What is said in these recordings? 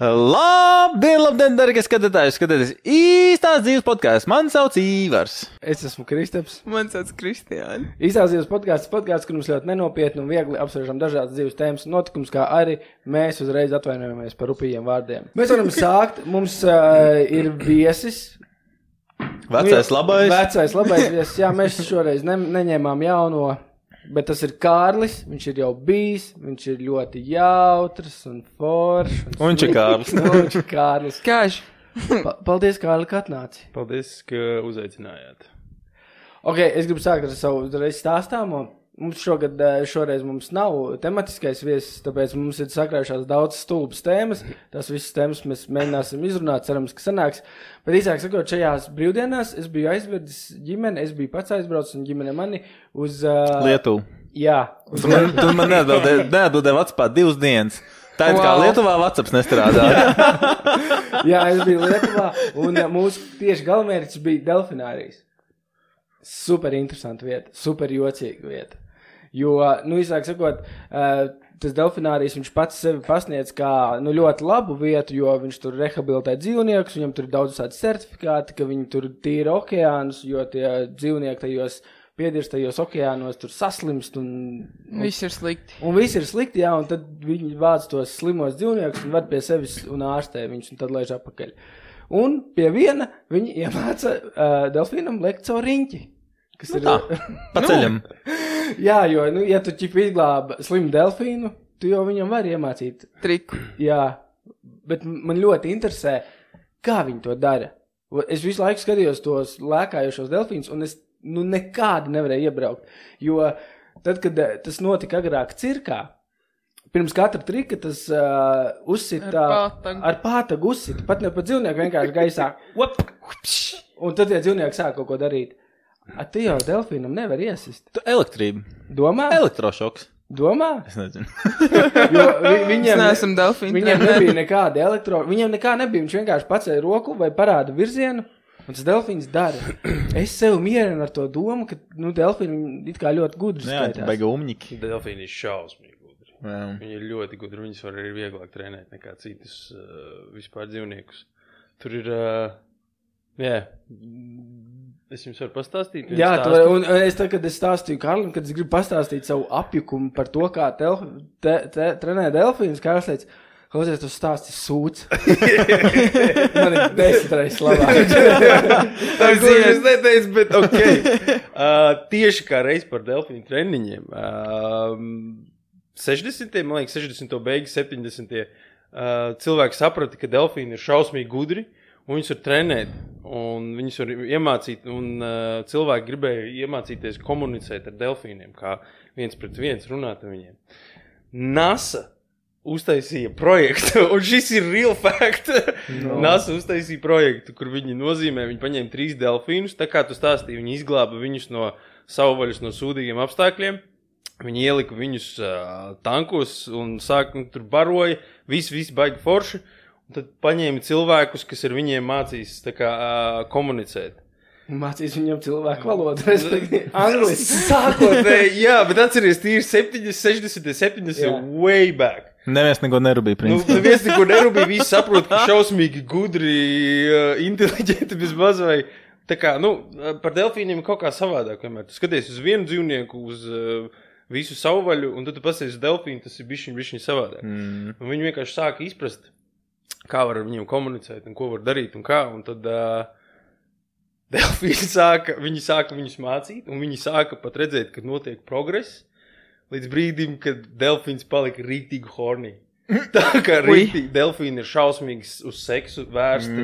Labdien, darbie skatītāji! Skatieties īstās dzīves podkāstu. Mani sauc Īvars. Es esmu Kristaps. Man sauc Kristiāni. Īstās dzīves podkāsts, kur mums ļoti nenopietni un viegli apspriežam dažādas dzīves tēmas un notikums, kā arī mēs uzreiz atvainojamies par rupjiem vārdiem. Mēs varam sākt. Mums ir viesis. Vecais labais viesis. Jā, mēs šoreiz neņēmām jauno. Bet tas ir Kārlis, viņš ir jau bijis, viņš ir ļoti jautrs un foršs. Un viņš ir Kārlis. Kāži. Paldies, Kārli, ka atnāci. Paldies, ka uzaicinājāt. Ok, es gribu sākt ar savu uzreiz stāstāmo. Mums šoreiz mums nav tematiskais viesis, tāpēc mums ir sakrājušās daudz stulbas tēmas. Tās visas tēmas mēs mēģināsim izrunāt, cerams, ka sanāks. Bet īsāk sakot, šajās brīvdienās es biju aizvedis ģimeni, es biju pats aizbraucis un ģimene mani uz... Lietuvu. Jā. Tu man neatbildēji WhatsAppā 2 dienas. Tā ir kā Lietuvā WhatsApps nestrādā. Jā, es biju Lietuvā un mūsu tieši galvenmērķis bija delfinārijas. Super interesanta vieta, super jocīga vieta. Jo, īsāk sakot, tas delfinārijas viņš pats sevi pasniedz kā ļoti labu vietu, jo viņš tur rehabilitē dzīvniekus, viņam tur ir daudz tādi certifikāti, ka viņi tur tīra okeānus, jo tie dzīvnieki tajos piedirstajos okeānos tur saslimst un... Viss ir slikti. Un viss ir slikti, jā, un tad viņi vāc tos slimos dzīvniekus un ved pie sevis un ārstē viņus, un tad laiž apakaļ. Un pie viena viņi iemāca delfīnam lekt caur riņķi. Kas ir... Pa ceļam. Jā, jo, ja tu izglāba slimu delfīnu, tu jau viņam vari iemācīt. Triku. Jā, bet man ļoti interesē, kā viņi to dara. Es visu laiku skatījos tos lēkājošos delfīnus, un es nekādi nevarēju iebraukt. Jo tad, kad tas notika agrāk cirkā, pirms katra trika tas uzsita... Ar pātagu uzsita. Pat ne pat dzīvnieku vienkārši gaisā. Un tad tie dzīvnieki sāk kaut ko darīt. Tu jau delfīnam nevar iesist. Elektrība. Domā? Elektrošoks. Domā? Es nezinu. Jo viņiem nebija nekāda viņiem nekā nebija. Viņš vienkārši pacēja roku vai parāda virzienu, un tas delfīns dara. Es sev mierinu ar to domu, ka delfīni it kā ļoti gudri skaitās. Jā, baiga umņiki. Delfīni ir šausmīgi gudri. Jā. Viņi ir ļoti gudri. Viņus var arī vieglāk trenēt nekā citus vispār dzīvniekus. Tur ir... Es jums varu pastāstīt? Jā, un es tad, kad es stāstīju Karlim, kad es gribu pastāstīt savu apjukumu par to, kā trenē delfīnus, Karls teica, klausies, tu stāsti sūds. Man ir 10 reizes labāk. Es neteicu, bet ok. Tieši kā reiz par delfīnu treniņiem. 60. beigas, 70. Cilvēki saprata, ka delfīni ir šausmīgi gudri. Un viņus var trenēt, un viņus var iemācīt, un cilvēki gribēja iemācīties komunicēt ar delfīniem, kā viens pret viens runāt ar viņiem. NASA uztaisīja projektu, un šis ir real fact. No. NASA uztaisīja projektu, kur viņi nozīmē, viņi paņēma 3 delfīnus, tā kā tu stāstīji, viņi izglāba viņus no savvaļas, no sūdīgiem apstākļiem. Viņi ielika viņus tankos un tur baroja, visi baigi forši. Un tad paņēma cilvēkus, kas ar viņiem mācīs komunicēt. Mācīs viņam cilvēku valodu, respektīvi angliski. Sākotnēji, jā, bet atceries, tīri 60, 70 way back. Neviens neko nerūpīja, principā. Neviens neko nerūpīja, visi saprot, ka šausmīgi gudri, inteliģenti bezmaz vai... Tā kā, par delfīniem kaut kā savādāk, vienmēr. Tu skaties uz vienu dzīvnieku, uz visu savvaļu, un tad tu pasies uz delfīnu, tas ir bišķiņ savādāk. Un viņi vienkārši sāka izprast, kā var ar viņiem komunicēt un ko var darīt un kā, un tad delfīni sāka viņus mācīt, un viņi sāka pat redzēt, ka notiek progress, līdz brīdim, kad delfīns palika rītīgi hornī. Tā kā rītīgi delfīni ir šausmīgi uz seksu vērsti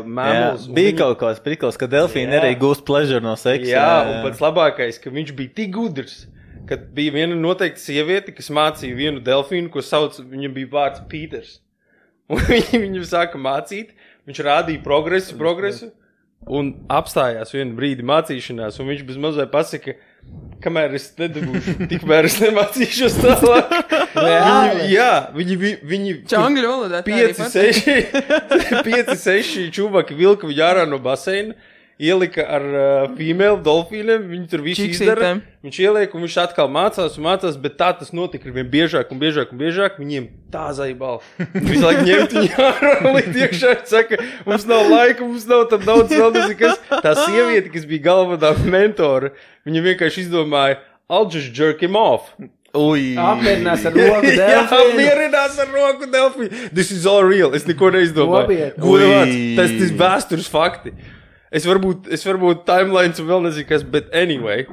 mammals. Bija kaut kāds prikals, ka delfīni arī gūst pleasure no seksa. Jā, un pats labākais, ka viņš bija tik gudrs, kad bija viena noteikta sieviete, kas mācīja vienu delfīnu, ko sauc, viņam bija vārds Pīters. Un viņu sāka mācīt, viņš rādīja progresu, un apstājās vienu brīdi mācīšanās, un viņš bez mazai pasaka, kamēr es nedabūšu, tikmēr es nemācīšos tālāk. Viņi Čangļu valodā 5-6 čūvaki vilka viņu ārā no baseina, ielika ar female dolfīniem, viņi tur visu izdara, viņš ieliek un viņš atkal mācās, bet tā tas notika ar vien biežāk, viņiem tā zaibala. Visu laiku ņemt viņu ārā, likt iekšā, saka, mums nav laika, mums nav tam daudz vēl nezikas. Tā sieviete, kas bija galvenā mentora, viņa vienkārši izdomāja, I'll just jerk him off. Apmierinās ar roku delfīnu. Jā, apmierinās ar roku delfīnu. This is all real. Es neko neizdomāju. Tas vēstures fakti. Es varbūt timelines un vēl nezinu kas, but anyway,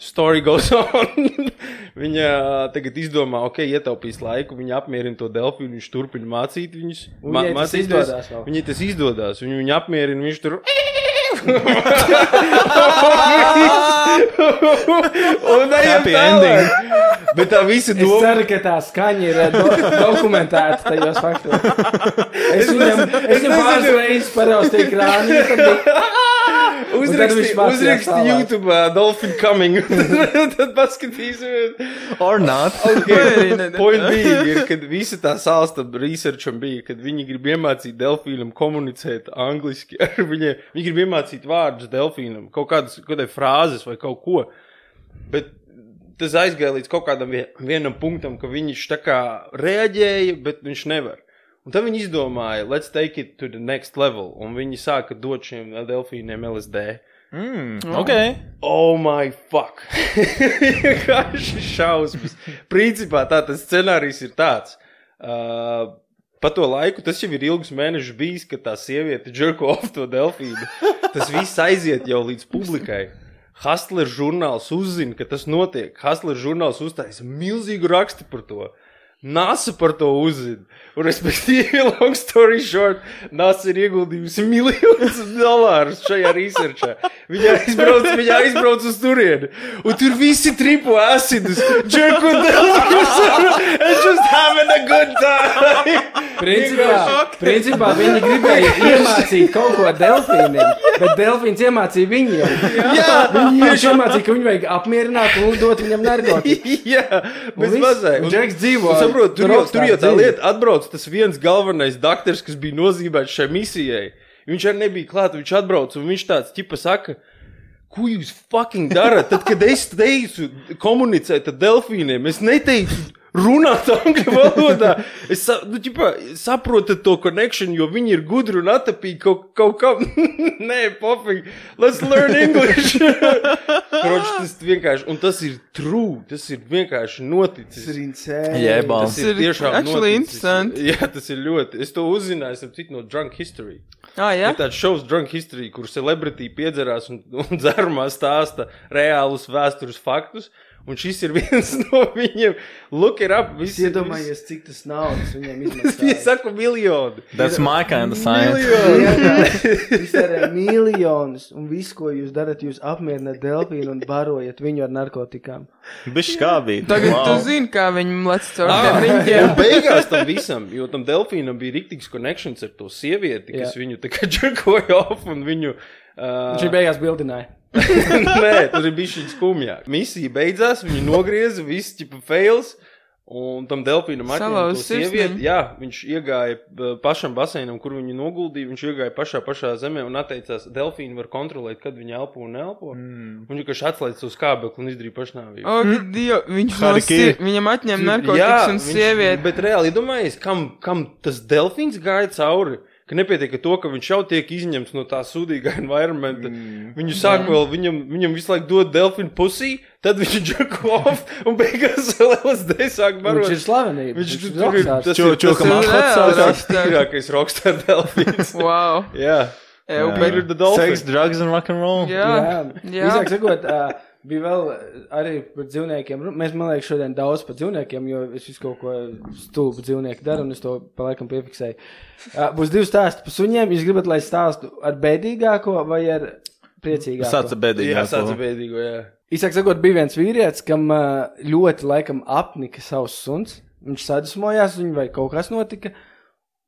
story goes on. Viņa tagad izdomā, ietaupīs laiku, viņa apmierina to delfīnu, viņš turpina mācīt viņus. Viņai tas izdodās. Viņa apmierina, viņš tur... Happy ending. Bet tā visa doma... Es ceru, ka tā skaņa ir dokumentēta tajos faktos. Es viņam pāris reizes paraustīju krāni, Uzraksti YouTube Dolphin Coming. Tad paskatīsimies. Or not. Point bija ir, kad visa tā sāsta researcham bija, kad viņi grib iemācīt delfīnam komunicēt angliski ar viņiem. Viņi grib iemācīt vārdus delfīnam, kaut kādai frāzes vai kaut ko. Bet tas aizgāja līdz kaut kādam vienam punktam, ka viņš tā kā reaģēja, bet viņš nevar. Un tad viņi izdomāja, let's take it to the next level. Un viņi sāka dot šiem delfīniem LSD. Oh my fuck. Vienkārši šausmas. Principā tas scenārijs ir tāds. Pa to laiku, tas jau ir ilgus mēnešus bijis, ka tā sieviete jerko off to delfīnu. Tas viss aiziet jau līdz publikai. Hustler žurnāls uzzina, ka tas notiek. Hustler žurnāls uztaisa milzīgu rakstu par to. NASA par to uzzina. Un, respektīvi, long story short, NASA ir ieguldījusi $1,000,000 šajā researchā. Viņa aizbrauc uz turieni. Un tur visi tripo acidus, jerku delfīnus and just having a good time. Principā viņi gribēja iemācīt kaut ko delfīniem, bet delfīns iemācīja viņiem. Jā. Viņi iemācīja, ka viņu vajag apmierināt un dot viņam narkotiku. Jā, bez mazai. Un Džeks dzīvo. Saprot, tur jau tā lieta atbrauc tas viens galvenais daktars, kas bija nozīmēts šai misijai. Viņš arī nebija klāt, viņš atbrauc un viņš tāds ķipa saka, ko jūs fucking darat? Tad, kad es teicu komunicēt ar delfīniem, es neteicu runāt angļu valodā. Es saprotu to connection, jo viņi ir gudri un atapīgi kaut kam. Nē, pofīgi. Let's learn English. Kroč, tas vienkārši, un tas ir true, tas ir vienkārši noticis. Tas ir insane. Jēbals. Tas ir tiešām actually noticis. Interesanti. Jā, tas ir ļoti. Es to uzzināju, esam cik no Drunk History. Jā? Ir tāds šovs Drunk History, kur celebrity piedzerās un dzerumā stāsta reālus vēstures faktus. Un šis ir viens no viņiem. Look it up. Es iedomājies, cik tas naudas viņiem izmaksāja. Es saku miljoni. That's my kind of science. Jūs darāt miljonus, un visu, ko jūs darat, jūs apmierināt delfīnu un barojat viņu ar narkotikām. Bišķi skābīt. Tagad tu zini, kā viņi lec caur tiem riņķiem. Un beigās tam visam, jo tam delfīnam bija riktīgs connections ar to sievieti, kas viņu tā kā jerkoja off un viņu... Viņš beigās bildināja. Nē, tur ir bišķiņ skumjāk. Misija beidzās, viņi nogrieza, viss ķipa fails, un tam delfīnam atņēma to sievieti. Jā, viņš iegāja pašam baseinam, kur viņu noguldīja, viņš iegāja pašā zemē un atteicās, delfīni var kontrolēt, kad viņi elpo un elpo. Un viņš atslēdz savu skābekli un izdarīja pašnāvību. Viņam atņem narkotikas un sievieti. Bet reāli, iedomājies, kam tas delfīns gāja cauri? Ka nepietiek to, ka viņš jau tiek izņemts no tā sūdīgā environmenta. Viņu sāk vēl, viņam visu laiku dod delfinu pusī, tad viņš jerko off un beigās vēl LSD sāk barot. Viņš ir slavenība. Viņš ir tas tīrākais rockstar delfīns. Wow. Jā. Better the dolphin. Sex, drugs and rock'n'roll. Jā. Visāk sakot, bija vēl arī par dzīvniekiem. Mēs, man liekas, šodien daudz par dzīvniekiem, jo es visu kaut ko stulbu dzīvnieku daru, un es to pa laikam piefiksēju. Būs 2 stāsti par suņiem. Jūs gribat, lai stāstu ar bēdīgāko vai ar priecīgāko? Sāca bēdīgāko. Jā, sāca bēdīgo, jā. Īsāk sakot, bija viens vīrietis, kam ļoti laikam apnika savs suns. Viņš sadusmojās, viņu vai kaut kas notika.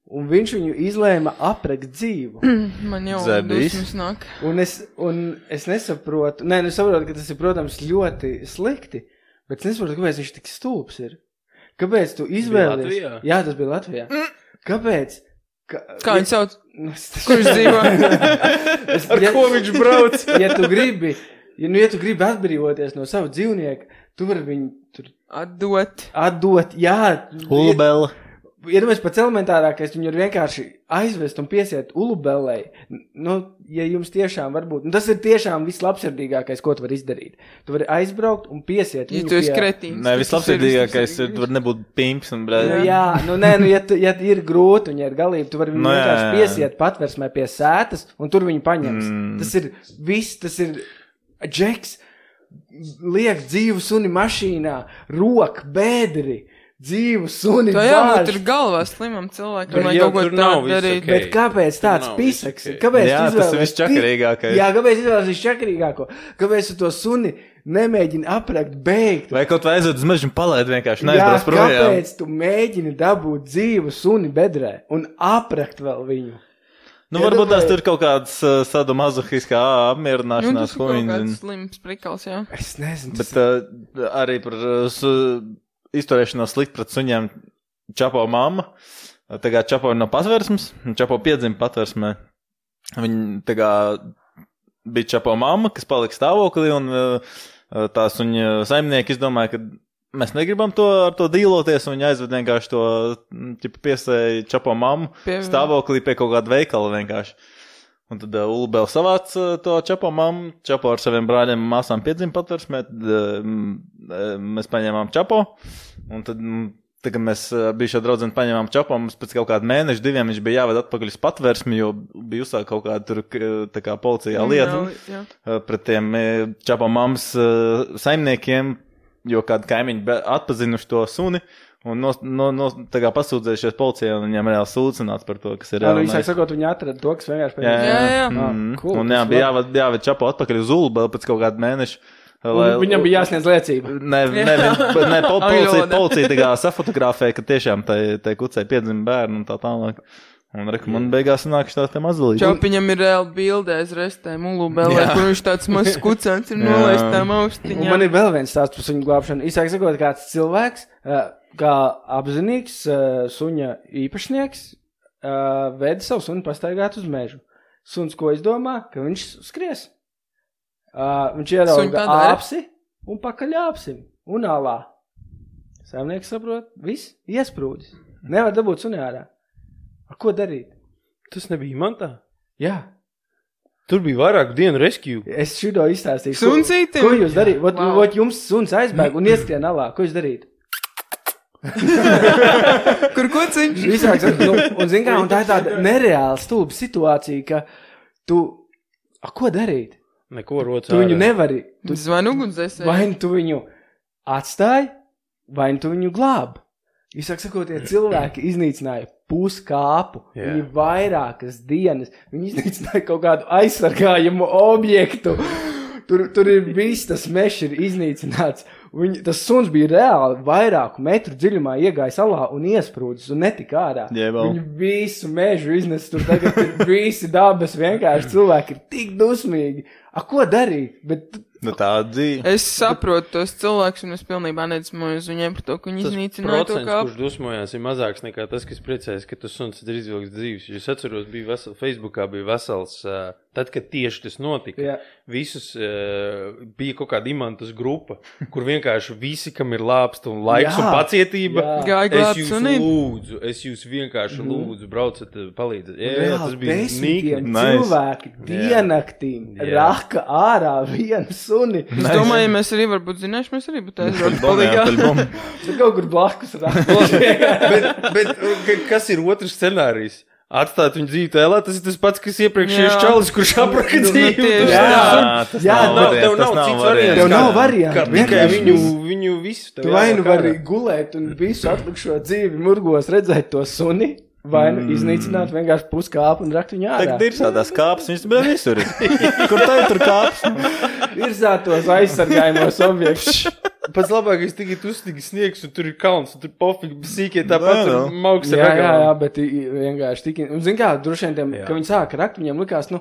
Un viņš viņu izlēma aprekt dzīvu. Man jau dusmas nāk. Un es nesaprotu, saprotu, ka tas ir, protams, ļoti slikti, bet es nesaprotu, kāpēc viņš tik stulbs ir. Kāpēc tu izvēlies? Latvijā? Jā, tas bija Latvijā. Kāpēc Kā viņš sauc? Kur viņš dzīvo? Ar ko viņš brauc? Ja tu gribi atbrīvoties no savu dzīvnieku, tu vari viņu tur atdot, jā. Ulubela. Iedomājies pats elementārākais, viņu var vienkārši aizvest un piesiet ulubellei. Nu, ja jums tiešām varbūt, tas ir tiešām vislabsirdīgākais, ko tu vari izdarīt. Tu vari aizbraukt un piesiet viņu. Ja tu esi kretīns. Nē, vislabsirdīgākais tu var nebūt pimps un brēd. Ja ir grūti un ja ir galīgi, tu vari viņu vienkārši piesiet patversmē pie sētas un tur viņu paņems. Tas ir viss, tas ir džeks, liek dzīvu suni mašīnā, roka, bēdri. Dzīvu suni bārš. Tā jābūt ir galvā slimam cilvēkam, lai kaut ko tādu darīt. Bet kāpēc tāds pisaks? Kāpēc tas ir visčakarīgākais. Jā, kāpēc izvēlēs visčakarīgāko? Kāpēc tu to suni nemēģini aprakt, beigt? Vai kaut vai aizved uz mežu un palaid vienkārši neaizbrauc projām? Jā, kāpēc tu mēģini dabūt dzīvu suni bedrē un aprakt vēl viņu? Nu, varbūt tās tur kaut kāds sadomazohiskā apmierināšanās. Tas ir kaut kāds slims prikals, jā. Es nezinu. Bet arī par izturēšanos slikt pret suņiem Čapo mamma. Tagad Čapo ir no patversmes. Čapo piedzima patversmē. Viņa tagad bija Čapo mamma, kas palika stāvoklī, un tā suņa saimnieki izdomāja, ka mēs negribam ar to dīloties, un viņi aizved vienkārši to piesēja Čapo mammu stāvoklī pie kaut kāda veikala vienkārši. Un tad Ulubela savāc to Čapo mammu, Čapo ar saviem brāļiem un māsām piedzima patversmē, mēs paņēmām Čapo, un tad, kad mēs bijušā draudzeni paņēmām Čapo, mums pēc kaut kāda mēneša, 2 viņš bija jāved atpakaļ uz patversmi, jo bija uzsāk kaut kāda tur, tā kā policijā lieta pret tiem Čapo mammas saimniekiem, jo kādi kaimiņi atpazinuši to suni, un tā kā pasūdzējušies policijā, un viņam reāli sūdzināts par to, kas ir reāli. Viņš sakot, viņi atrada to, kas vienkārši pēc. Jā. Cool, un bija jāved Čapo atpakaļ uz Ulubelu pēc kaut kāda mēneša. Viņam bija jāsniedz liecība. Policija tā kā safotografēja, ka tiešām tai kucei piedzima bērnu un tā tālāk. Un man beigās nāk šitās te mazalīši. Čaupiņam ir reāli bildē aiz restēm Ulubelē, kur viņš tāds mazs kucens ir nolaistām austiņām. Un man ir vēl viens stāsts par suņu glābšanu. Īsāk sakot, kāds cilvēks, kā apzinīgs suņa īpašnieks, veda savu suni pastaigāt uz mežu. Suns ko izdomā? Ka viņš skries. Viņš ierauga āpsi un pakaļ āpsim un alā. Saimnieks saprot, viss iesprūdis. Nevar dabūt suni ārā. Ko darīt? Tas nebija mantā? Jā. Tur bija vairāk dienu rescue. Es šito izstāstīju. Suncītim? Ko jūs darīt? Vot jums suns aizbēg un ieskrien alā. Ko jūs darīt? Kur kociņš? Visāks. Un zin kā, un tā ir tāda nereāla stulba situācija, ka tu... Ko darīt? Neko roc ārā. Tu viņu nevari. Zvanu ugunsdzēsēji. Vai tu viņu atstāji, vai tu viņu glāb. Īsāk sakot, tie cilvēki iznīcināja puskāpu. Viņi vairākas dienas. Viņi iznīcināja kaut kādu aizsargājumu objektu. Tur ir viss, tas mešs ir iznīcināts. Tas suns bija reāli vairāku metru dziļumā iegājis alā un iesprūdis un netika ārā. Viņi visu mežu iznes. Tur tagad ir visi dabas vienkārši cilvēki ir tik dusmīgi. Ko darīt? Tā dzīve. Es saprotu tos cilvēkus, un es pilnībā nedusmoju uz viņiem par to, ka viņi iznīcināja to kāpu. Tas procents, kurš dusmojās, ir mazāks nekā tas, kas priecājas, ka tas suns ir izvilks dzīves. Es atceros, Facebookā bija vesels, tad, kad tieši tas notika, visus bija kaut kāda imantas grupa, kur vienkārši visi, kam ir lāpsta un laiks un pacietība, es jūs vienkārši lūdzu, braucat, palīdzat. Tas bija desmitiem cilvēki dienaktīm raka ārā viens suni. Es domāju, ja mēs arī varbūt zināšu, mēs arī būtu aizbraukt palīgā. Tur kaut kur blakus bet kas ir otrs scenārijs? Atstāt viņu dzīvi tēlā, tas ir tas pats, kas iepriekšējais čalis, kurš apraka dzīvi. Tev nav variantu. Tikai viņu visu. Tu vai nu vari gulēt un visu atlikušo dzīvi murgos redzēt to suni, vai nu iznīcināt vienkārši puskāpu un rakt viņu ārā. Tagad ir sādās kāpes, viņas bija visur. Kur tā ir tur kāpes? Ir sātos aizsargājumos objektus. Pats labākais tikai uzstīgi sniegs, un tur ir kalns, un tur pofīgi sīkie tāpat tur mauks ar ragām. Jā, bet vienkārši tik... Un zin kā, droši vien tiem, ka viņi sāka rakt, viņiem likās,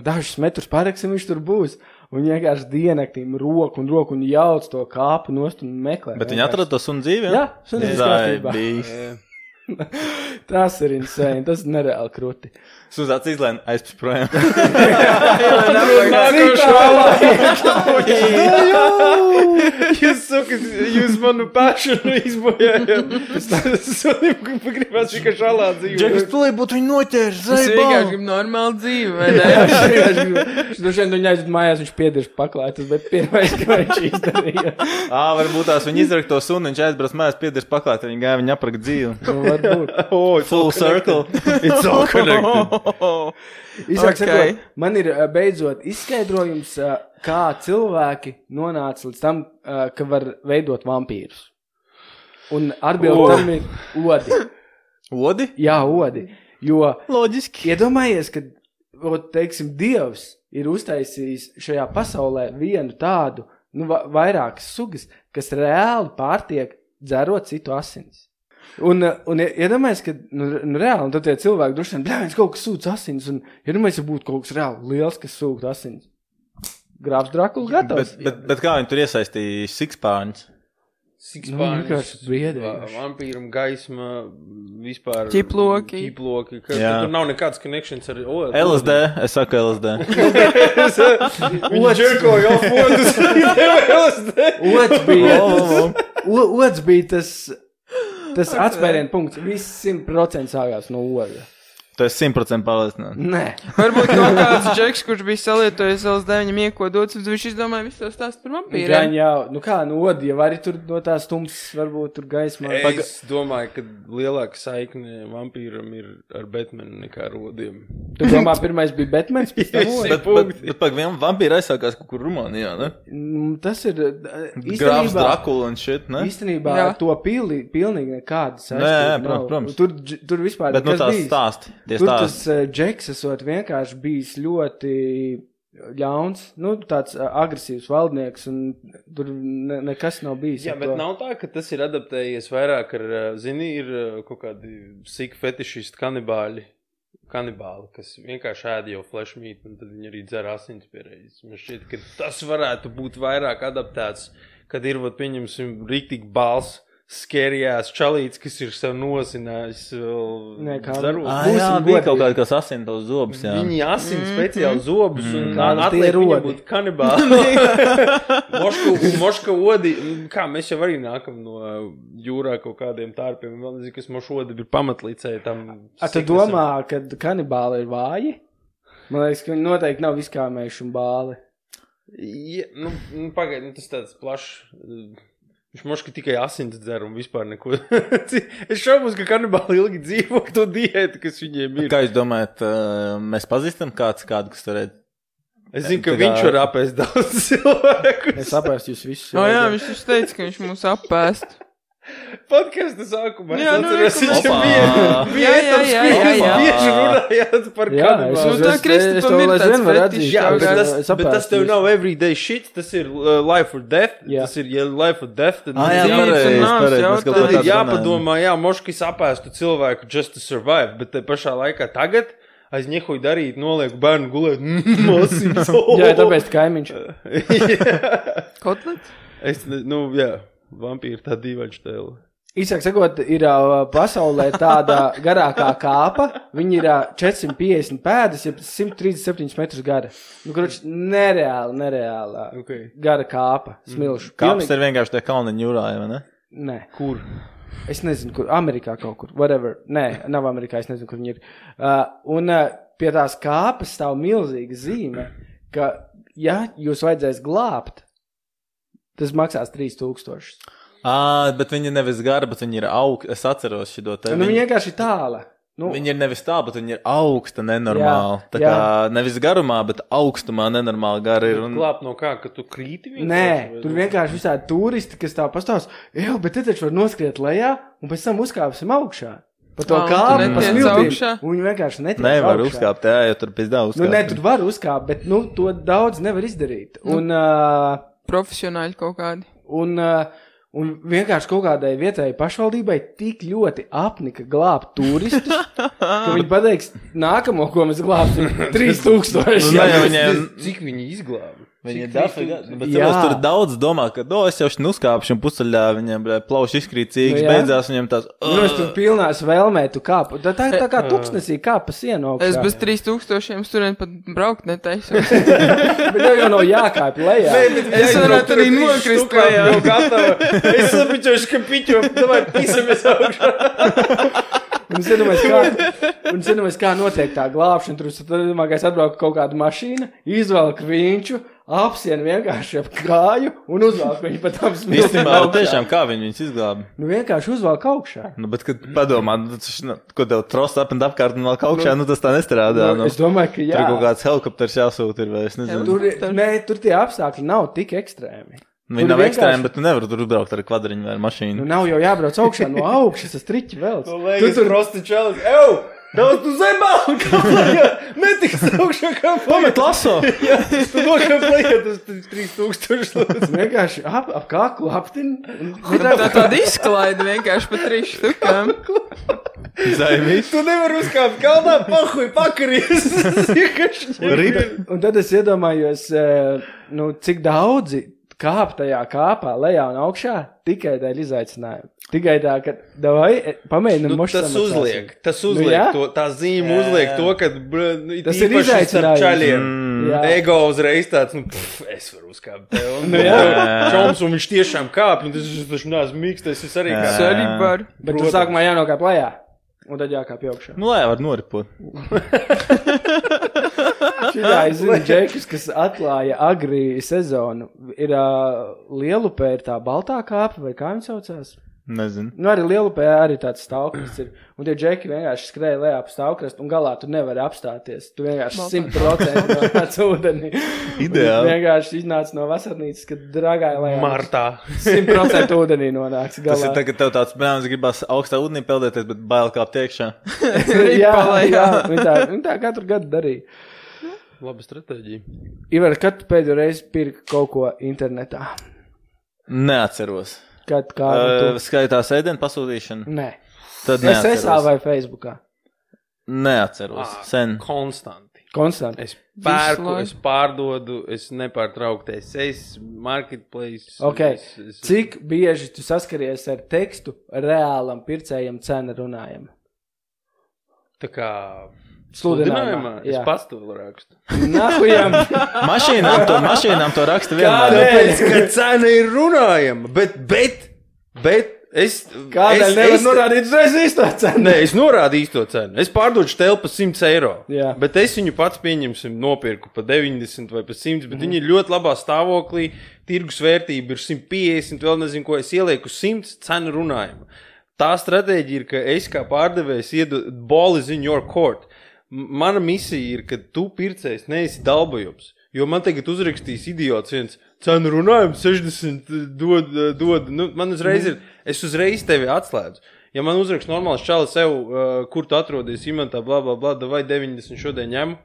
dažus metrus paraksim, viņš tur būs. Un vienkārši dienaktīm roku un jauc to kāpu nost un meklē. Bet viņi atrada to sunu dzīvi, jā? Jā, sunis kārtībā. Tas ir insane, tas ir nereāli krūti. Suzāts izlēma aizpēc projām. Jūs manu pašanu izbojājāt. Es gribētu tikai šalā dzīvot. Džekas tulī būtu viņu noķērs, Es vienkārši gribu normāli dzīvi, vai ne? Droši vien viņu aizved mājās, viņš piedieši paklājas, bet pirmais, ka viņš izdarīja. Varbūt tās viņi izraka to sunu, viņš aizbrauc mājās piedieši paklāt, viņi gāja viņu apraka dzīvi. Varbūt. Full circle. It's all connected. Īsāk sakot, man ir beidzot izskaidrojums, kā cilvēki nonāca līdz tam, ka var veidot vampīrus. Un atbildi tam ir odi. Odi? Jā, odi. Jo, Loģiski. iedomājies, ka, teiksim, Dievs ir uztaisījis šajā pasaulē vienu tādu, vairākas sugas, kas reāli pārtiek dzerot citu asins. Un iedomājies, ka, reāli, un tad tie cilvēki droši vien, viņš kaut kas sūdz asins, un iedomājies, ja būtu kaut kas reāli liels, kas sūgt asins. Grāfs Drakula gatavs. Bet kā viņi tur iesaistīja sikspārņus? Sikspārņus, vampīram gaisma, vispār... Ķiploki. Tur nav nekāds connections ar... LSD, es saku LSD. Viņi džerko jau fondus, Ods bija tas atspērienu punkts. Viss 100% sākās no oda. Tu esi 100% pārliecināts. Nē. Varbūt kaut kāds džeks, kurš bija salietojis LSD, viņam iekodots, viņš izdomāja visu to stāstu par vampīriem. Odi, ja arī tur no tās tums, varbūt tur gaismā. Es domāju, ka lielāka saikne vampīram ir ar Batmanu nekā ar odiem. Tu domā, pirmais bija Batmans, pēc tam Bet vampīri aizsākās kaut kur Rumānijā, ne? Tas ir Grāfs Drakula un shit, ne? Īstenībā to pilnīgi nekāda saistība. Protams. Tur vispār bet no tās stāsti. Tur tas džeks esot vienkārši bijis ļoti ļauns, tāds agresīvs valdnieks, un tur nekas nav bijis. Jā, bet nav tā, ka tas ir adaptējies vairāk ar, ir kaut kādi sick fetišisti kanibāli, kas vienkārši ēd jau flesh meat, un tad viņi arī dzer asins pierēdis. Man šķiet, ka tas varētu būt vairāk adaptēts, kad ir, pieņemsim, rīktīgi bāls, skerijās čalīts, kas ir sev nosinājis zarot. Jā, bija kaut kāda, kas asina tos zobus, jā. Viņi asina speciāli zobus un atliek viņam būt kanibāli. Moška odi, kā mēs jau arī nākam no jūrā kaut kādiem tārpiem, vēl nezinu, kas mošu odi ir pamatlīcēji tam. Tu domā, ka kanibāli ir vāji? Man liekas, ka viņi noteikti nav viskāmējuši un bāli. Ja, pagaid, tas tāds plašs... Viņš moška tikai asins dzer un vispār neko. Es šaubos, ka kanibāli ilgi dzīvo to diētu, kas viņiem ir. Kā jūs domājat, mēs pazīstam kādu, kas varētu? Es zinu, ka viņš var apēst daudz cilvēkus. Es apēst jūs visus. Jā, viņš teica, ka viņš mūs apēst. Podkasta sākumā es atceros, viņš bija etaps, kur bieži runājāt par kanibālu. Tā Kristupam ir tāds fetišs. Jā, bet tas tev nav everyday shit, tas ir life or death. Tas ir, ja life or death, tad ir jāpadomā, moškis apēstu cilvēku just to survive, bet te pašā laikā tagad aiz ņehuj darīt, nolieku bērnu gulēt, masīts. Jā, tāpēc kaimiņš. Kotlets? Vampīri tā dīvaņš tēla. Īsāk sakot, ir pasaulē tāda garākā kāpa, viņi ir 450 pēdas, ja 137 metrus gara. Nereāli gara kāpa, smilšu. Kāpas ir vienkārši tie kalniņi jūrā, vai ne? Nē. Kur? Es nezinu, kur. Amerikā kaut kur. Whatever. Nē, nav Amerikā, es nezinu, kur viņi ir. Un pie tās kāpas stāv milzīga zīme, ka, ja jūs vajadzēs glābt, tas maksās 3000. Bet viņi nevis gara, bet viņi ir augsta. Es atceros šito te. Viņi vienkārši tāla. Viņi ir nevis tā, bet viņi ir augsta nenormāli. Tā kā nevis garumā, bet augstumā nenormāli gara ir. Glābt no kā, ka tu krīti vienkārši? Nē, tur vienkārši visādi turisti, kas tā pastāvs. Bet te taču var noskriet lejā un pēc tam uzkāpsim augšā. Pa to kāpu, pa smiltīm. Un viņi vienkārši netiek augšā. Nevar uzkāpt, jo tur pēc dā uzkāpt. Nē, tur var uzkāpt, bet to daudz nevar izdarīt. Un... profesionāļi kaut kādi. Un vienkārši kaut kādai vietēji pašvaldībai tik ļoti apnika glābt turistus, ka viņi pateiks, nākamo, ko mēs glābsim, 3000. Cik viņi izglāba? Viņi bet tur daudz domā, ka, es jau uzkāpšu un pusceļā viņiem plauši izkrīt cīgas, beidzās viņiem tās... Es tur pilnās vēlmē, tu kāpu. Tā kā tuksnesī kāpa sienu augšā. Es bez 3000 turien pat braukt netaisu. Bet jau nav jākāp lejā. Es varētu arī nokrist lejā. Es sapiņošu, ka piķo, davai pisamies augšā. Un zināmies, kā notiek tā glābšana. Tur domāju, ka atbrauka kaut kāda mašīna, izvelk viņu, apsien vienkārši ap kāju un uzvelk viņu pat apsmilti. Tiešām, kā viņus izglāba? Nu, vienkārši uzvelk augšā. Nu, bet, kad padomā, ko tev trost apkārt un vēl augšā, tas tā nestrādā. Es domāju, ka jā. Tur kaut kāds helikopters jāsūt ir, vai es nezinu. Tur tie apstākļi nav tik ekstrēmi. Viņi nav ekstrēmi, bet tu nevari tur uzbraukt ar kvadriņu vai ar mašīnu. Nu, nav jau jābrauc augšā no augšas, tas triķi vēl. Tu tur rosti čelis. Daudz tu zemā, kā plējā. Netiks augšā, kā plējā. Pamet laso. Jā, tu nokā plējā, tas 3000 lūdzu. Vienkārši ap kāku aptin. Tāda izklaida vienkārši pa 3 štukām. Zaimīs. Tu nevar uzkāpt kalnā, pahuj, pakaries. Un tad es iedomājos, cik daudzi kāp tajā kāpā, lejā un augšā, tikai dēļ izaicinājuma. Tikai tā, ka davai, pamēģinam mošu samaksāsim. Tas uzliek to, tā zīme uzliek to, ka tas ir izaicinājums. Čaļiem. Ego uzreiz tāds, es varu uzkāpt tev. Čoms, un viņš tiešām kāp, un tas taču neesmu mīkstais, es arī kāp. Es arī varu. Bet tu sākumā jānokāp lejā, un tad jākāp augšā. Nu, lejā var noripot. Šitā es zinu džekus, kas atklāja agri sezonu. Ir Lielupē ir tā baltā kāpa, vai kā viņi saucās? Nezinu. Nu, arī Lielupē arī tāds stāvkrasts ir. Un tie džeki vienkārši skrēja lejā pa stāvkrastu, un galā tu nevari apstāties. Tu vienkārši 100% nonāc ūdenī. Ideāli. Vienkārši iznāc no vasarnīcas, kad dragāja lejā. Martā. 100% ūdenī nonāc galā. Tas ir tagad tev tāds, bērns gribās augstā ūdenī peldēties, bet bail kāpt iekšā. jā, viņi tā katru gadu darīja. Laba stratēģija. Ivar, kad tu pēdējo reizi pirki kaut ko internetā? Neatceros. Kad kā? Skaitās ēdienu pasūtīšanu? Nē. Tad neatceros. SSA vai Facebookā? Neatceros. Sen. Konstanti. Konstanti. Es pērku, es pārdodu, es nepārtraukti es marketplace. Ok. Cik bieži tu saskaries ar tekstu reālam pircējam cena runājam? Tā kā... Sludinājumā. Es pats to rakstu. Nahujam. Mašīnām to raksta vienmēr. Kādēļ, ka cena ir runājama, bet es... Kādēļ nevar norādīt uzreiz īsto cenu? Nē, es norādu īsto cenu. Es pārdodu štelpu par 100 eiro. Jā. Bet es viņu pats pieņemsim nopirku par 90 vai par 100, bet viņi ir ļoti labā stāvoklī, tirgus vērtība ir 150, vēl nezinu, ko es ielieku 100, cena runājama. Tā stratēģija ir, ka es kā pārdevējs iedu ball is in your court. Mana misija ir, ka tu pircējs neesi dalbojums, jo man tagad uzrakstīs idiots viens cenu runājumu 60 dod, man uzreiz ir, es uzreiz tevi atslēdzu. Ja man uzrakst normāls čalis sev, kur tu atrodies imantā, bla, vai 90 šodien ņemu,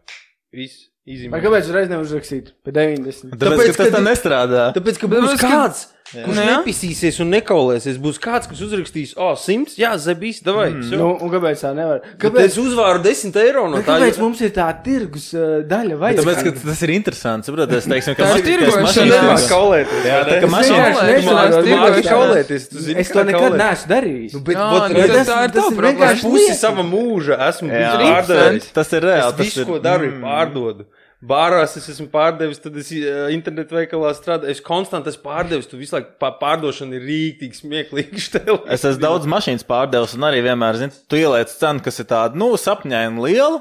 viss, izimē. Vai kāpēc uzreiz neuzrakstīt pa 90? Tāpēc, ka tas tā nestrādā. Tāpēc, ka būs kāds, kurš nepisīsies un nekaulēsies, būs kāds, kas uzrakstīs, 100, jā, zebīs, davai. Un kāpēc tā nevar? Kāpēc es uzvāru 10 eiro no tā? Kāpēc mums ir tā tirgus daļa vajag? Tāpēc, ka tas ir interesants, saprot, es teiksim, ka mašīnās kaulēties. Jā, tā ka mašīnās kaulēties. Es to nekad neesmu darījis. Tā ir tā problēma. Pusi sava mūža esmu pārdevējis. Tas ir reāli. Es visu, ko daru, pārdodu. Bārās es esmu pārdevis, tad es internetu veikalā strādāju. Es konstanti esmu pārdevis, tu visu laiku pārdošana ir rīktīgi smieklīgi štēlē. Es esmu daudz mašīnas pārdevis un arī vienmēr, tu ieliec cenu, kas ir tāda, sapņaina liela.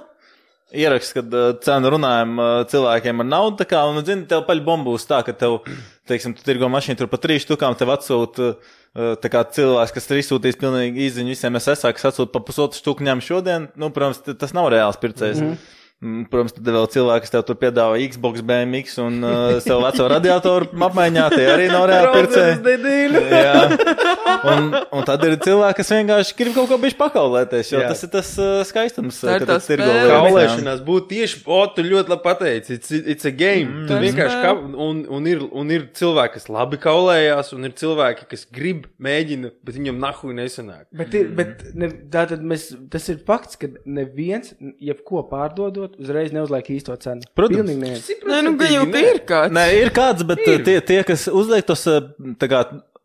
Ieraksts, kad cenu runājam cilvēkiem ar naudu, tā kā, un, tev paļ bombūs tā, ka tev, teiksim, tu tirgo mašīnu tur pa 3 štukām, tev atsūt, tā kā cilvēks, kas ir izsūtījis pilnīgi izziņu visiem SSA, kas atsūt pa 1,5 štuku ņem šodien, protams, tas nav reāls pircējs. Protams, tad vēl cilvēki, kas tev tur piedāvā Xbox, BMX un savu veco radiatoru apmaiņā, tie arī nav reāli pircēji. Un tad ir cilvēki, kas vienkārši grib kaut ko bišķi pakaulēties, jo tas ir tas skaistums, kad tas tirgo kaulēšanās būtu tieši, tu ļoti labi pateici, it's a game. Tu vienkārši un ir cilvēki, kas labi kaulējās, un ir cilvēki, kas grib, mēģina, bet viņam nahuj nesanāk. Bet tātad tas ir fakts, ka neviens, jebko pārdodot, iegūt, uzreiz neuzliek īsto cenu. Protams. Pilnīgi neviens. Nē, nu, gan jau ir kāds. Nē, ir kāds, bet tie, kas uzliek tos, tā kā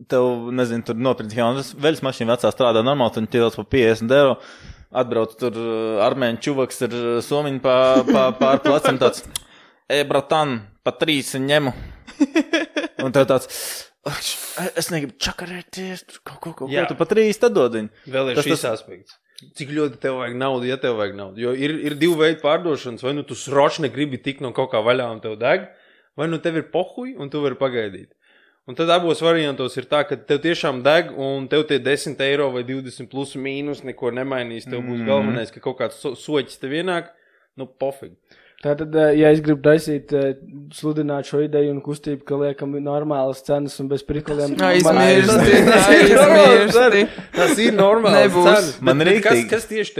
tev, nezinu, tur nopirkt jaunas veļas mašīna vecā strādā normāli, tad ķiedās pa 50 €, atbrauc tur armēņu čuvaks ar somiņu pār plecam tāds, bratan, pa 3 ņemu. Un tev tāds, es negribu čakarēties, kaut ko, tu pa 3 tad dodiņu. Vēl ir šis aspekts. Cik ļoti tev vajag naudu, ja tev vajag naudu. Jo ir 2 veidi pārdošanas, vai nu tu sročne gribi tik no kaut kā vaļā un tev deg, vai nu tev ir pohuj un tu vari pagaidīt. Un tad abos variantos ir tā, ka tev tiešām deg un tev tie 10 € vai 20 plus mīnus neko nemainīs. Tev būs galvenais, ka kaut kāds soķis tev ienāk, nu pofīgi. Tātad, ja es gribu taisīt, sludināt šo ideju un kustību, ka liekam normālas cenas un bez prikoliem. Aizmirsti. Tas ir normāls cenas. Man rīktīgi. Kas tieši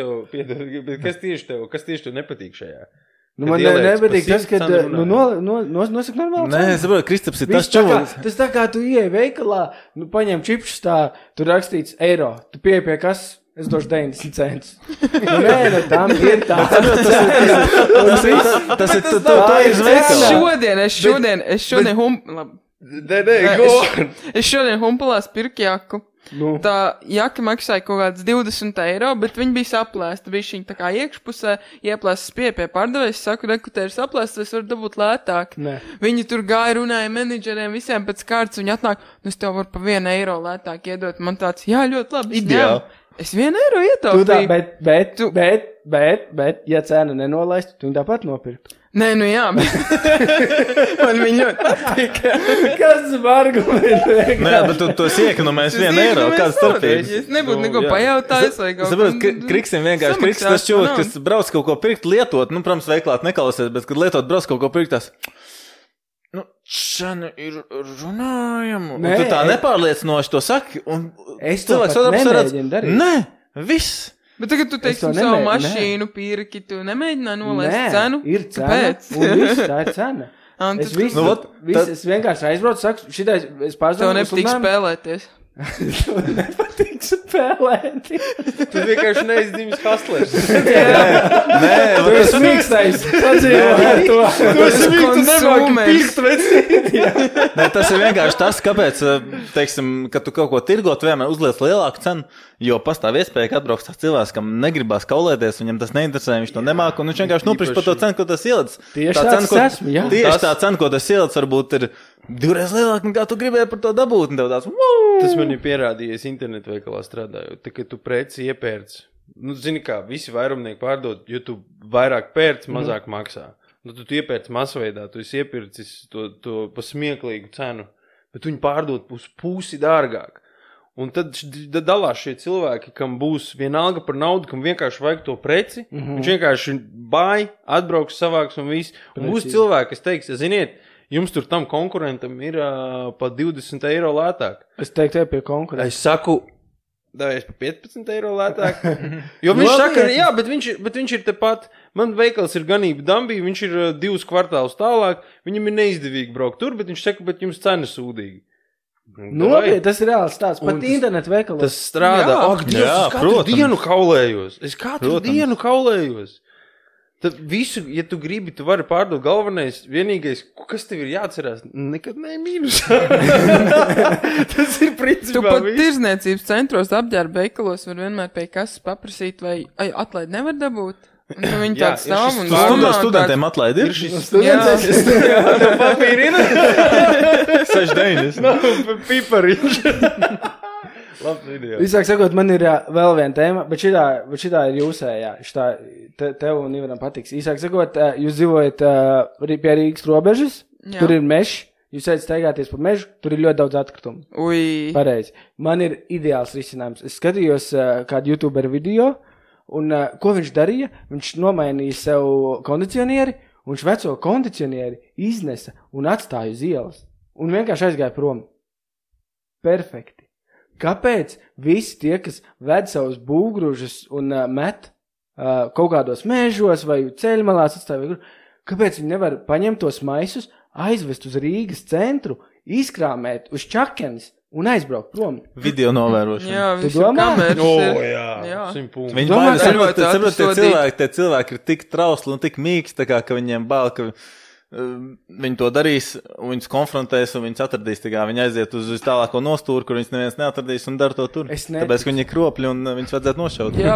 tev nepatīk šajā? Nu, man nepatīk tas, ka, nosaka normāli cenu. Nē, es saprotu, Kristaps ir tas čovals. Tas tā kā tu ieej veikalā, paņem čipšus tā, tur rakstīts eiro, tu pieeja pie kas? Es došu 90 centus. Nē, tam ir tā. Tas ir zveikala. Es šodien humpalās pirku jaku. Tā jaka maksāja kaut kāds 20 €, bet viņi bija saplēsta. Bija šī tā kā iekšpusē, ieplēstas pie pārdevējs, saku, rekutē ir saplēstas, es varu dabūt lētāk. Nē. Viņi tur gāja, runāja menedžeriem, visiem pēc kārtas, viņi atnāk, nu es tev varu pa 1 € lētāk iedot. Man tāds, jā, ļoti labi. Ideāli. Es 1 € ietaupīju. Bet, ja cena nenolaist, tu viņu tāpat nopirkt. Nē, nu jā, bet man viņi ļoti patīk. Kas var argumentēt? Nē, bet tu esi iekonomējis 1 €, kāds starpības? Es nebūtu neko pajautājis vai kaut ko. Kriksim vienkārši, Kriks tas čūs, kas brauc kaut ko pirkt lietot, nu, protams, veiklāt nekalasies, bet, kad lietot brauc kaut ko pirkt, tas, nu, šana ir runājamu. Un tu tā nepārliecinoši to saki, un es to pat nemēģinu darīt. Nē, viss. Bet tagad tu teiksim savu mašīnu pirki, tu nemēģināji nolaist cenu? Nē, ir cena, un viss, tā ir cena. Es vienkārši aizbraucu, saku, šitais, es pārzvanu. Tev nepatīk spēlēties. Tev nepatīk spēlēties. Tu vienkārši neizdzimis hastlers. Nē, tu esi mīkstais. Sadzīvo ar to. Tu esi konsumers. Nē, tas ir vienkārši tas, kāpēc, teiksim, kad tu kaut ko tirgot, vienmēr uzliec lielāku cenu, jo pastāv iespēja, ka atbrauks tāds cilvēks, kam negribās kaulēties, viņam tas neinteresē, viņš to nemāk, un viņš vienkārši nopirks par to cenu, ko tas ielic. Tieši tā cena, ko tas ielic, varbūt ir 2 reizes lielāka, nekā tu gribēji par to dabūt, un tev tāds, Tas man ir pierādījies internetu veikalā strādājot, tā, ka tu preci iepērci. Nu, zini kā, visi vairumnieki pārdod, jo tu vairāk pērci, mazāk maksā. Nu, tu iepērci masveidā, tu esi iepircis to pa smieklīgu cenu, bet viņi pārdod pusi dārgāk. Un tad dalās šie cilvēki, kam būs vienalga par naudu, kam vienkārši vajag to preci, viņš vienkārši bāj, atbrauks, savāks un viss. Un būs cilvēki, kas teiks, ziniet, jums tur tam konkurentam ir pa 20 € lētāk. Es teiktu, pie konkurenta. Es saku, davies pa 15 € lētāk. Jo viņš saka, jā, bet viņš ir tepat. Man veikals ir ganība Dambī, viņš ir 2 kvartālus tālāk. Viņam ir neizdevīgi braukt tur, bet viņš saka, bet jums cena sūdīgi. Nopietni, tas ir reāls tāds. Pat internetu veikalos. Tas strādā. Es katru dienu kaulējos. Tad visu, ja tu gribi, tu vari pārdot galvenais, vienīgais, kas tev ir jāatcerās, nekad ne mīnusā. Tas ir principā tu pat tirzniecības centros apģērba veikalos var vienmēr pie kasas paprasīt, vai atlaid nevar dabūt. Un tu viņi tāds stāv un domā. Studentiem atlaid ir? No papīra ir? 6,9. No, pipariņš. Labs video. Visāk sakot, man ir vēl viena tēma, bet šitā ir jūsējā. Tev un Ivaram patiks. Īsāk sakot, jūs dzīvojat pie Rīgas robežas, tur ir mežs, jūs ejat staigāties pa mežu, tur ir ļoti daudz atkritumu. Ui. Pareizi. Man ir ideāls risinājums. Es skatījos kādu YouTuberu video, un ko viņš darīja? Viņš nomainīja sev kondicionieri, un viņš veco kondicionieri iznesa un atstāja uz ielas. Un vienkārši aizgāja prom. Perfekti. Kāpēc visi tie, kas ved savus būvgrūžus un met kaut kādos mežos vai ceļmalās atstāja, kāpēc viņi nevar paņemt tos maisus, aizvest uz Rīgas centru, izkrāmēt uz čakenes, un aizbraukt prom. Video novērošana. Jā, visam kameras jā. 100 punkti. Viņi baidās, tie cilvēki ir tik trausli un tik mīksti, ka viņiem bail, ka viņi to darīs, un viņus konfrontēs, un viņus atradīs. Viņi aiziet uz tālāko nostūru, kur viņus neviens neatradīs un dara to tur. Tāpēc, ka viņi ir kropļi un viņus vajadzētu nošaut. Jā.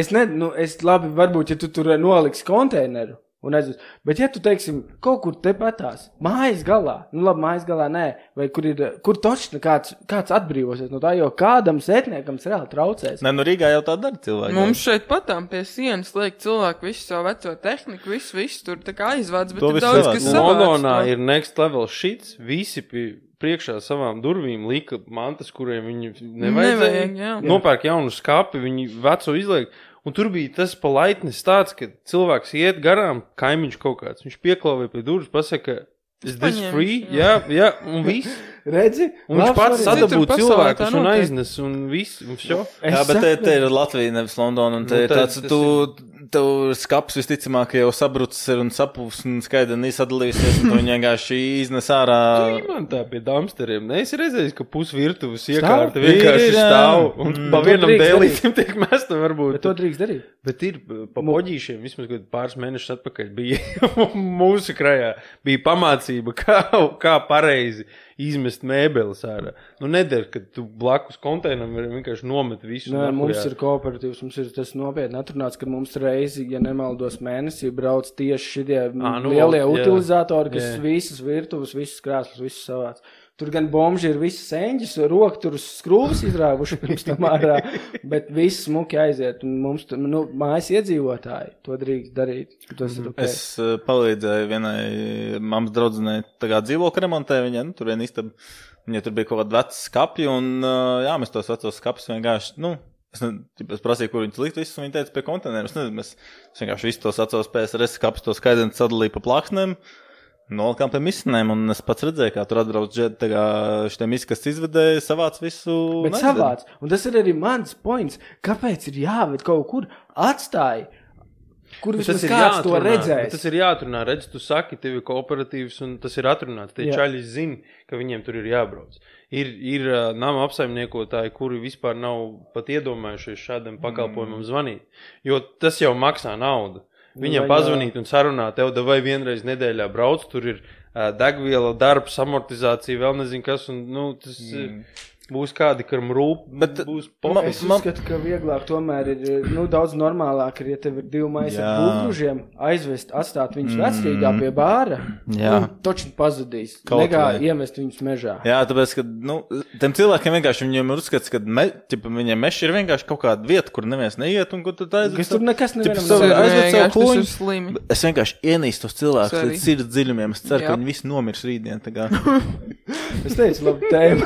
Es labi, varbūt, ja tu tur noliksi konteineru, un aizvest. Bet ja tu, teiksim, kaut kur tepatās, mājas galā, mājas galā nē, vai kur točni kāds atbrīvosies no tā, jo kādam sētniekam reāli traucēs. Nē, Rīgā jau tā dara cilvēki. Mums šeit patām pie sienas liek cilvēku visu savu veco tehniku, visu tur tā kā aizvāc, bet ir daudz, kas savāc. Londonā ir next level shits, visi priekšā savām durvīm lika mantas, kuriem viņi nevajadzēja. Nopērk jaunu skapi, viņi veco izliek. Un tur bija tas palaitnis tāds, ka cilvēks iet garām, kaimiņš kaut kāds. Viņš pieklauvē pie durvis, pasaka, is this free? Jā, un viss. Redzi? Un viņš pats sadabūja cilvēkus un aiznes un viss. Jā, bet te ir Latvija, nevis Londona. Un te ir tāds, tev skaps visticamāk jau sabrucis ir un sapūs un skaidri nesadalījusies. Un tu viņi vienkārši iznes ārā. Tu man tā pie damsteriem. Ne, es redzēju, ka pusvirtuves iekārta vienkārši stāv. Un pa vienam dēlītim tiek mesta varbūt. Bet to drīkst darīt. Bet ir pa poģīšiem, vismaz pāris mēnešus atpakaļ bija mūsu krajā. Bija pamācība, kā pareizi izmest mēbeles ārā. Nedara, ka tu blakus konteinam vienkārši nomet visu. Nē, mums ir kooperatīvs, mums ir tas nopietni atrunāts, ka mums reizi, ja nemaldos mēnesī, brauc tieši šitie lielie utilizatori, kas visas virtuves, visas krāslas, visas savāds. Tur gan bomži ir visas eņģis, roka tur uz skrūvas izrāvuši pirms tam ārā, bet viss smuki aiziet. Un mums, mājas iedzīvotāji to drīkst darīt. Tas ir okay. Es palīdzēju vienai mammas draudzenei dzīvokļu remontē, viņai, tur vien istaba, viņai tur bija kaut kāda veca skapja, un jā, mēs tos vecos skapus vienkārši, es prasīju, kur viņus likt visus, un viņi teica pie konteineru. Es nezinu, mēs vienkārši visus tos vecos PSRS skapus, tos skaidriem sadalīju pa plāksnēm, nolikām pie misnēm, un es pats redzēju, kā tur atbrauc šitie misi, kas izvedēja, savāc visu. Bet savāc, un tas ir arī mans points, kāpēc ir jāved kaut kur atstāji, kur vismaz kāds to redzēs. Tas ir jāatrunā, redz, tu saki, tev ir kooperatīvs, un tas ir atrunāts. Tie čaļi zina, ka viņiem tur ir jābrauc. Ir nama apsaimniekotāji, kuri vispār nav pat iedomājušies šādam pakalpojumam zvanīt, jo tas jau maksā naudu. Viņam pazvanīt un sarunāt, tev vai vienreiz nedēļā brauc, tur ir degviela, darbs, amortizācija, vēl nezinu kas, un tas būs kādi, karam rūp, bet būs Es uzskatu, ka vieglāk tomēr ir, daudz normālāk ir, ja tev ir 2 maisi ar būvgružiem, aizvest, atstāt viņus vecrīgā pie bāra, točni pazudīs, negā iemest viņus mežā. Jā, tāpēc, ka, tiem cilvēkiem vienkārši viņiem ir uzskats, ka viņiem meši ir vienkārši kaut kāda vieta, kur neviens neiet, un kur tad aizvest. Kas tur nekas nevienam aizvest savu kuņu. Es vienkārši ienīstu tos cilvēkus līdz sirds dziļumiem, es ceru, ka viņi visi nomirs rītdien. Es teicu, labi tēma.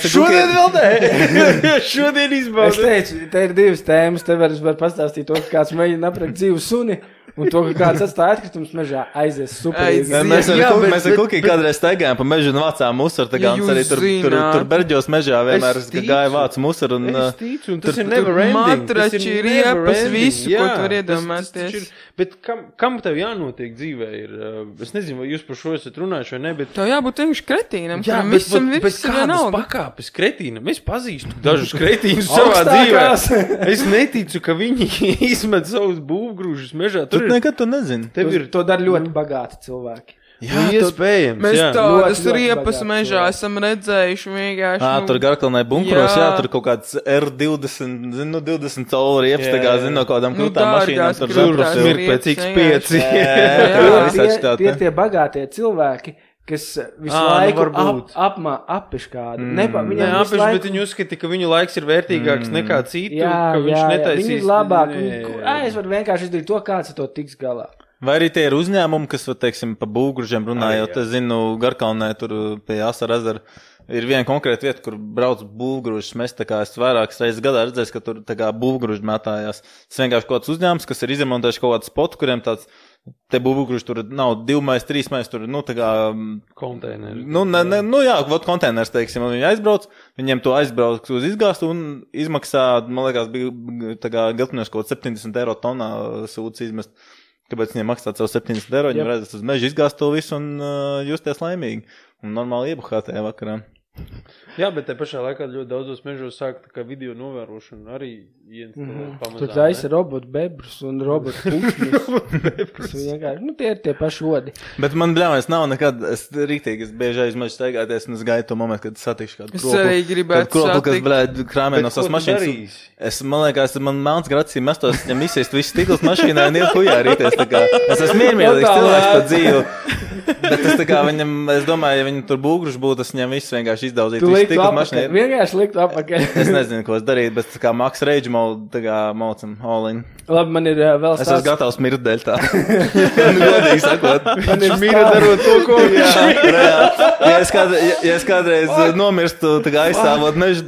Šodien vēl nē. Šodien izbaudu. Es teicu, te ir 2 tēmas, te var pastāstīt to, ka kāds mēģina aprakt dzīvu suni, un to, ka kāds atstāja atkritumus mežā, aizies superīgi. Mēs ar Kukī kādreiz staigājām pa mežu un vācām musaru, un arī tur Berģos mežā vienmēr gāja vāc musaru. Es ticu, un tas ir never ending. Matrači, riepas, visu, ko tu var iedomāties. Bet kam tev jānotiek dzīvē ir, es nezinu, vai jūs par šo esat runājuši vai ne, bet... Tev jābūt vienkārši kretīnam, jā, bet kādas pakāpes kretīnam? Es pazīstu dažus kretīnus savā dzīvē. Es neticu, ka viņi izmet savus būvgrūžus mežā. Tu nekad to nezini. To dara ļoti bagāti cilvēki. Jā, iespējams. Mēs tādas riepas mežā esam redzējuši vienkārši. Tur Garkalnē bunkuros, tur kaut kāds R20, 20 colu riepas, no kādām krūtām mašīnām. Tur smirk pēc X5. Tie ir tie bagātie cilvēki, kas visu laiku appiš kādu. Neappiš, bet viņi uzskata, ka viņu laiks ir vērtīgāks nekā citu, ka viņš netaisīs. Viņi ir labāk. Es varu vienkārši izdarīt to, kāds ar to tiks galā. Vai arī tie ir uzņēmumi, kas, teiksim, pa būvgružiem runājot, es zinu, Garkalnē tur pie Asara ezera ir viena konkrēta vieta, kur brauc būvgružus mest, es vairākas reizes gadā redzēju, ka tur būvgruži mētājās. Tas vienkārši kaut kāds uzņēmums, kas ir izremontējuši kaut kādu spotu, kuriem tāds, te būvgruži tur nav 2 mais, 3 mais, tur, konteineri. Konteiners, teiksim, un viņi aizbrauc, viņiem to aizbrauc uz izgāstu un izmaksā, man liekas, bija Geltņos kaut 70 eiro tonā sūds izmest. Kāpēc viņiem maksāt savu 70 eiro, viņi redzat uz mežu izgāzt to visu un justies laimīgi. Un normāli iebuhāt tajā vakarā. Jā, bet te pašā laikā ļoti daudzos mežos sāk tā kā video novērošanu arī pamazām. Tur taisa robotu bebrus un robotu pušņus. Tie ir tie paši odi. Bet man, bļāmais, nav nekad, es bieži aizmežu staigāties un es gaidu to momentu, kad satikšu kādu kropu. Es arī gribētu satikt. Kas, krāmē no savas mašīnas. Man liekas, man melns gracī mestos, viņam izsist visu stikls mašīnā un iet hujā rīties. Es esmu miermīlīgs cilvēks pa dzīvi. Bet es tā kā viņam, es domāju, ja viņam tur būgruši būtu, es viņam visu vienkārši izdaudzīt. Tu liktu apakaļ, vienkārši liktu apakaļ. Es nezinu, ko es darītu, bet tā kā Max Rage tā kā maucam all in. Labi, man ir vēl stāsts. Es esmu gatavs mirt dēļ tā. Godīgi sakot. Man ir mirt darot to, ko ja es kādreiz nomirstu, tā kā aizstāvot mežu,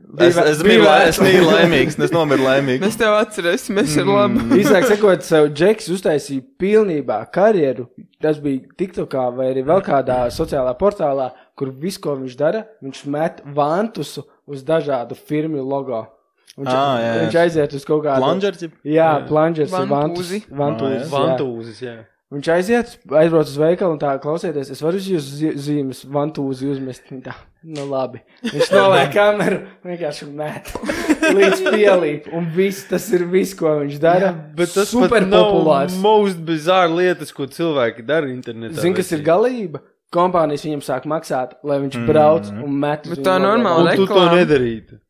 Es mīlu laimīgs, es nomiru laimīgi. Mēs tev atcerēsimies, ir labi. Īsāk sakot, savu Džeks uztaisīja pilnībā karjeru. Tas bija TikTokā vai arī vēl kādā sociālā portālā, kur visu, ko viņš dara, viņš met vantusu uz dažādu firmu logo. Viņš aiziet uz kaut kādu... Plungers? Jā, plungers ir Vantūzis, jā. Viņš aizbrauc uz veikalu un tā klausieties, es varu uz jūs zīmes vantūzi uzmest. Tā, labi. Viņš noliek kameru, vienkārši met līdz pielīp. Un tas ir viss, ko viņš dara. Jā, bet tas super populārs. Most bizarre lietas, ko cilvēki dara internetā. Zini, kas ir galība? Kompānijas viņam sāk maksāt, lai viņš brauc un met. Bet tā normāla reklāma. Un tu to nedarītu.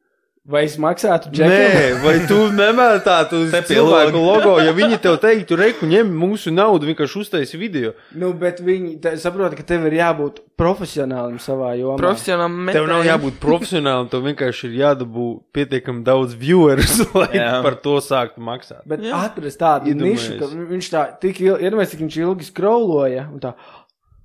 Vai es maksātu Džekam? Nē, vai tu nemētātu uz cilvēku logo, ja viņi tev teiktu, reku, ņem mūsu naudu, vienkārši uztaisi video. Bet viņi saprota, ka tev ir jābūt profesionālim savā jomā. Profesionālim metējiem. Tev nav jābūt profesionālim, tev vienkārši ir jādabū pietiekami daudz viewers, lai par to sāktu maksāt. Bet atrast tādu nišu, ka viņš tā tik viņš ilgi scrolloja un tā,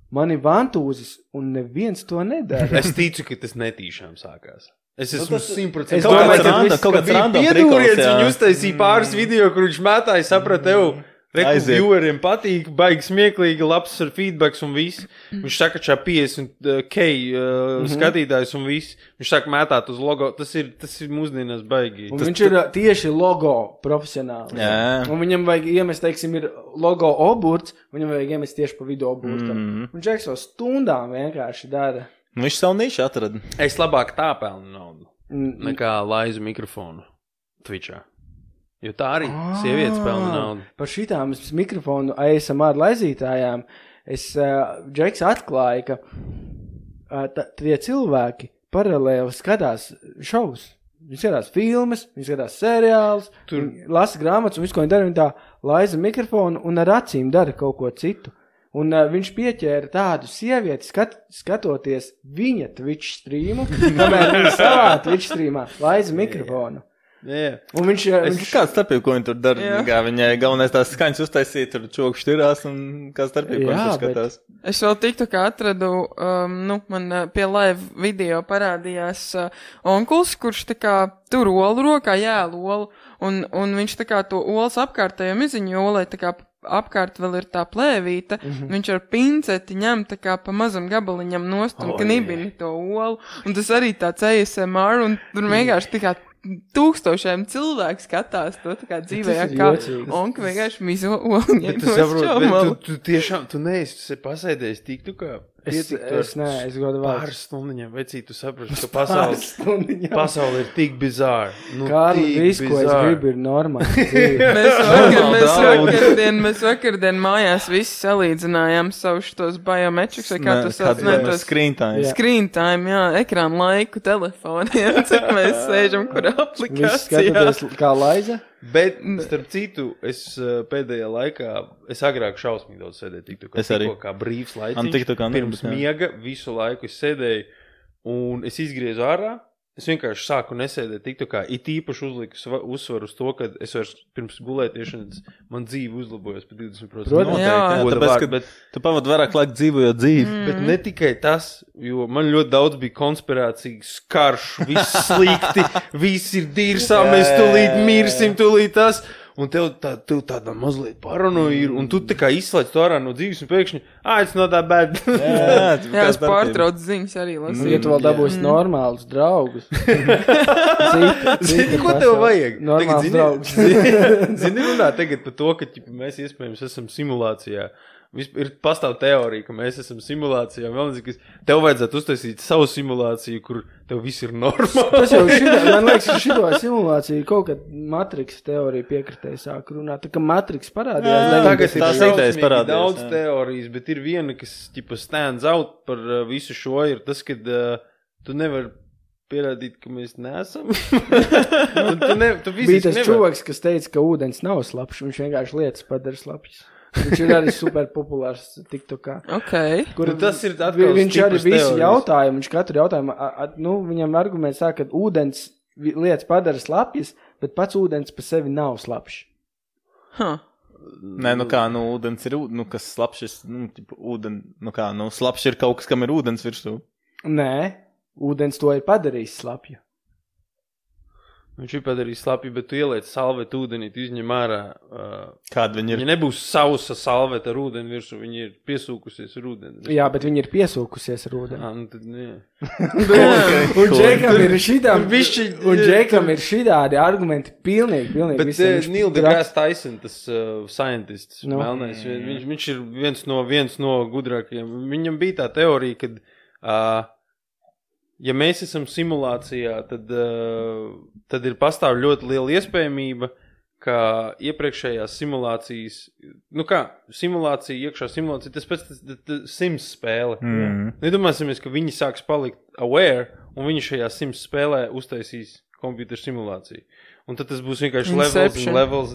man ir vantūzis un neviens to nedara. Es ticu, ka tas netīšām sākās. Es esmu 100%. Es domāju, ka bija piedūriens, viņi uztaisīja pāris video, kur viņš mētāja, saprat tev, reku vieweriem patīk, baigi smieklīgi, labs ar feedbacks un viss. Viņš saka, čā 50K skatītājs un viss. Viņš saka, mētāt uz logo, tas ir mūsdienās baigi. Un viņš ir tieši logo profesionāli. Un viņam vajag iemest, teiksim, ir logo oburts, viņam vajag iemest tieši pa vidu oburtam. Un Džeks jau stundām vienkārši dara. Viņš savu nišu atrada. Es labāk tā pelnu naudu, nekā laizu mikrofonu Twitchā. Jo tā arī sievietes pelna naudu. Par šitām mikrofonu ASMR laizītājām Džeks atklāja, ka tie cilvēki paralēli skatās šovus. Viņi skatās filmas, viņi skatās seriālus, viņi lasa grāmatas un visu, ko viņi dara, viņi tā laiza mikrofonu un ar acīm dara kaut ko citu. Un viņš pieķēra tādu sievieti, skatoties viņa Twitch streamu, kamēr viņa savā Twitch streamā laiza mikrofonu. Yeah. Un viņš kāda starpība, ko viņi tur dara? Viņai galvenais tās skaņas uztaisīt, tur čoku štirās un kāda starpība, ko viņi tur skatās? Es vēl tiktu, kā atradu, man pie live video parādījās onkuls, kurš tā kā tur olu rokā, olu, un viņš tā kā to olas apkārtējo miziņu olai tā kā apkārt vēl ir tā plēvīta, viņš ar pinceti ņem tā kā pa mazam gabaliņam nost un knibini to olu, un tas arī tāds ASMR, un tur vienkārši tā kā tūkstošiem cilvēku skatās to tā kā dzīvē, kā onka vienkārši mizo olu ņem nost čomalu. Tu tiešām, tu neesi pasēdējis tik, tu kā es godu vārds. Pāris stundiņam, vecīt, tu saprati, ka pasaule ir tik bizāra. Kārli, visu, ko es gribu, ir normāli. Mēs vakardien mājās visi salīdzinājām savus tos biometrics, vai kā tu sauc? Screen time. Screen time, jā, ekrānu laiku telefoniem, cik mēs sēžam, kur aplikācijā. Visi skatoties kā laiza? Bet, starp citu, es pēdējā laikā, es agrāk šausmīgi daudz sēdēju TikTokā. Es arī. Kā brīvs laiciņš, pirms miega, visu laiku es sēdēju, un es izgriezu ārā. Es vienkārši sāku nesēdēt TikTokā, it īpaši uzliku uzsvaru uz to, ka es vairs pirms gulētiešanas man dzīve uzlabojas par 20%. Tāpēc, ka tu pavadi vairāk laika dzīvojot dzīvi. Bet ne tikai tas, jo man ļoti daudz bija konspirācijas karš, viss slikti, viss ir dīrsā, mēs tūlīt mirsim, tūlīt tas. un tev tāda mazliet paranoja ir, un tu tā kā izslēdz to ārā no dzīves, un pēkšņi, it's not that bad. Jā, es pārtraucu ziņas arī lasīju. Ja tu vēl dabūsi normālus draugus. Zini, ko tev vajag? Normāls draugs. Zini, runā tagad par to, ka mēs iespējams esam simulācijā. Ir pastāv teorija, ka mēs esam simulācijā. Tev vajadzētu uztaisīt savu simulāciju, kur tev viss ir normāli. Tas jau man liekas, ka šito simulāciju kaut kad Matrix teorija piekritēja sāk runāt. Tā kā Matrix parādījās. Tagad tās idejas parādījās. Daudz teorijas, bet ir viena, kas stands out par visu šo, ir tas, kad tu nevar pierādīt, ka mēs neesam. Bija tas čovaks, kas teica, ka ūdens nav slapjš, viņš vienkārši lietas padara slapjas. Viņš ir arī super populārs TikTokā. Okay. Kur tas ir atkal viņš arī visi jautājumi, viņš katru jautājumu, viņam arguments sāk, ka ūdens lietas padara slapjas, bet pats ūdens pa sevi nav slapjš. Nē, ūdens ir, kas slapjš, slapjš ir kaut kas, kam ir ūdens virsū. Nē, ūdens to ir padarījis slapju. Viņš ir padarījis slapju, bet tu ieliec salvetu ūdenī, tu izņem ārā. Kāda viņi ir? Viņa nebūs sausa salveta ar ūdeni virsū, viņa ir piesūkusies ar ūdeni. Jā, bet viņa ir piesūkusies ar ūdeni. Nu tad nē. Un Džekam ir šitādi argumenti pilnīgi. Bet Neil deGrasse Tyson, tas scientists, melnais, viņš ir viens no gudrākajiem. Viņam bija tā teorija, kad ja mēs esam simulācijā, tad ir pastāv ļoti liela iespējamība, ka iepriekšējās simulācijas, iekšā simulācija, tas pēc Sims spēle. Nedomāsimies, ka viņi sāks palikt aware, un viņi šajā Sims spēlē uztaisīs computer simulāciju. Un tad tas būs vienkārši levels.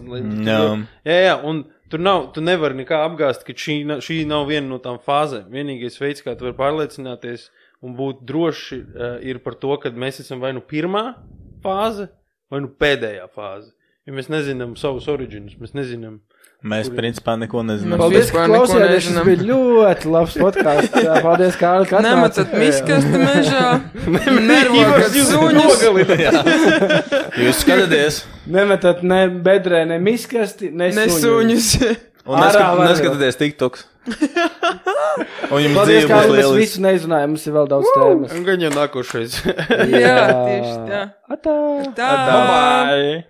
Jā, un tu nevari nekā apgāst, ka šī nav viena no tām fāzēm. Vienīgais veids, kā tu vari pārliecināties un būt droši, ir par to, ka mēs esam vai nu pirmā fāze, vai nu pēdējā fāze. Jo mēs nezinām savus originus, mēs nezinām. Mēs principā neko nezinām. Paldies, ka klausījāties, šis bija ļoti labs podkāsts. Paldies, Kārli, ka atnāci. Nemetat miskasti mežā, nervokat suņus. Jūs skatāties. Nemetat ne bedrē, ne miskasti, ne suņus. Un neskatieties TikToks. Un jums paldies, dzīve būs Kārli, mēs lieliski. visu neizrunājam, mums ir vēl daudz tēmas. Un gan jau nākošais. Jā, tieši tā. Atā. Tā. Bye.